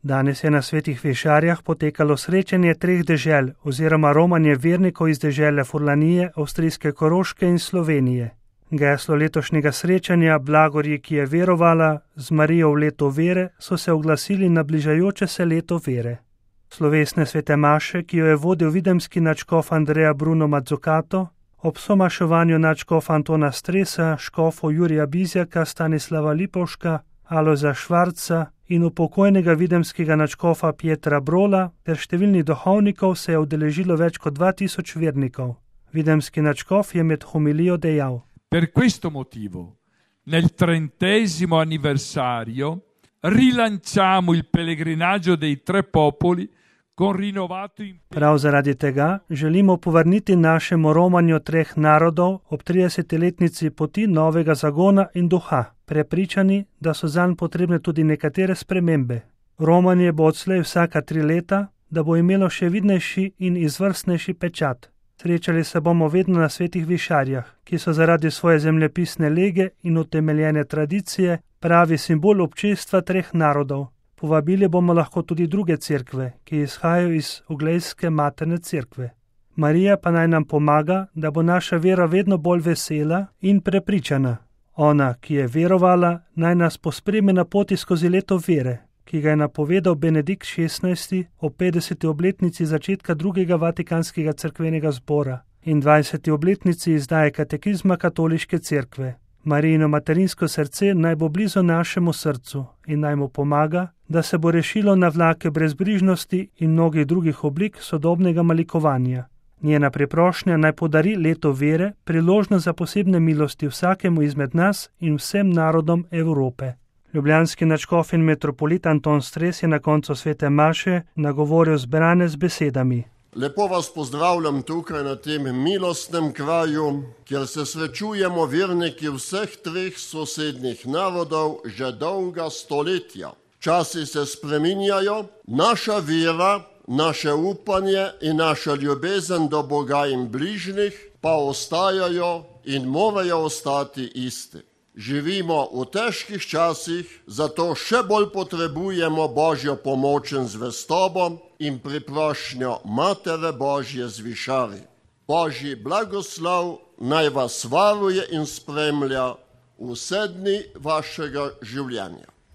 Danes je na Svetih Višarjah potekalo srečanje treh dežel oziroma romanje vernikov iz dežele Furlanije, avstrijske Koroške in Slovenije. Geslo letošnjega srečanja Blagorji, ki je verovala, z Marijo v leto vere, so se oglasili na bližajoče se leto vere. Slovesne svete maše, ki jo je vodil videmski nadškof Andrea Bruno Mazzucato, ob somaševanju nadškofa Antona Stresa, škofov Jurija Bizjaka, Stanislava Lipovška, Alojza Švarca in upokojnega videmskega nadškofa Pietra Brola ter številnih duhovnikov se je udeležilo več kot 2000 vernikov. Videmski nadškof je med homilijo dejal: Per questo motivo, nel 30° anniversario, rilanciamo il pellegrinaggio dei tre popoli con rinnovato impegno. Prav zaradi tega želimo povrniti našemu romanju treh narodov ob 30-letnici poti novega zagona in duha, prepričani, da so zanj potrebne tudi nekatere spremembe. Romanje bo odslej vsaka 3 leta, da bo imelo še vidnejši in izvrstnejši pečat. Srečali se bomo vedno na Svetih Višarjah, ki so zaradi svoje zemljepisne lege in utemeljene tradicije pravi simbol občestva treh narodov. Povabili bomo lahko tudi druge cerkve, ki izhajajo iz Uglejske materne cerkve. Marija pa naj nam pomaga, da bo naša vera vedno bolj vesela in prepričana. Ona, ki je verovala, naj nas pospremi na poti skozi leto vere, ki ga je napovedal Benedikt XVI ob 50. obletnici začetka drugega Vatikanskega cerkvenega zbora in 20. obletnici izdaje katekizma Katoliške cerkve. Marijino materinsko srce naj bo blizu našemu srcu in naj mu pomaga, da se bo rešilo na vlake brezbrižnosti in mnogih drugih oblik sodobnega malikovanja. Njena preprošnja naj podari leto vere, priložnost za posebne milosti vsakemu izmed nas in vsem narodom Evrope. Ljubljanski nadškof in metropolit Anton Stres je na koncu svete maše nagovoril zbrane z besedami: Lepo vas pozdravljam tukaj na tem milostnem kraju, kjer se srečujemo verniki vseh treh sosednjih narodov že dolga stoletja. Časi se spreminjajo, naša vera, naše upanje in naša ljubezen do Boga in bližnjih pa ostajajo in morajo ostati isti. Živimo v težkih časih, zato še bolj potrebujemo Božjo pomoč in zvestobo in priprošnjo Matere Božje z Višarij. Božji blagoslov naj vas varuje in spremlja vse dni vašega življenja.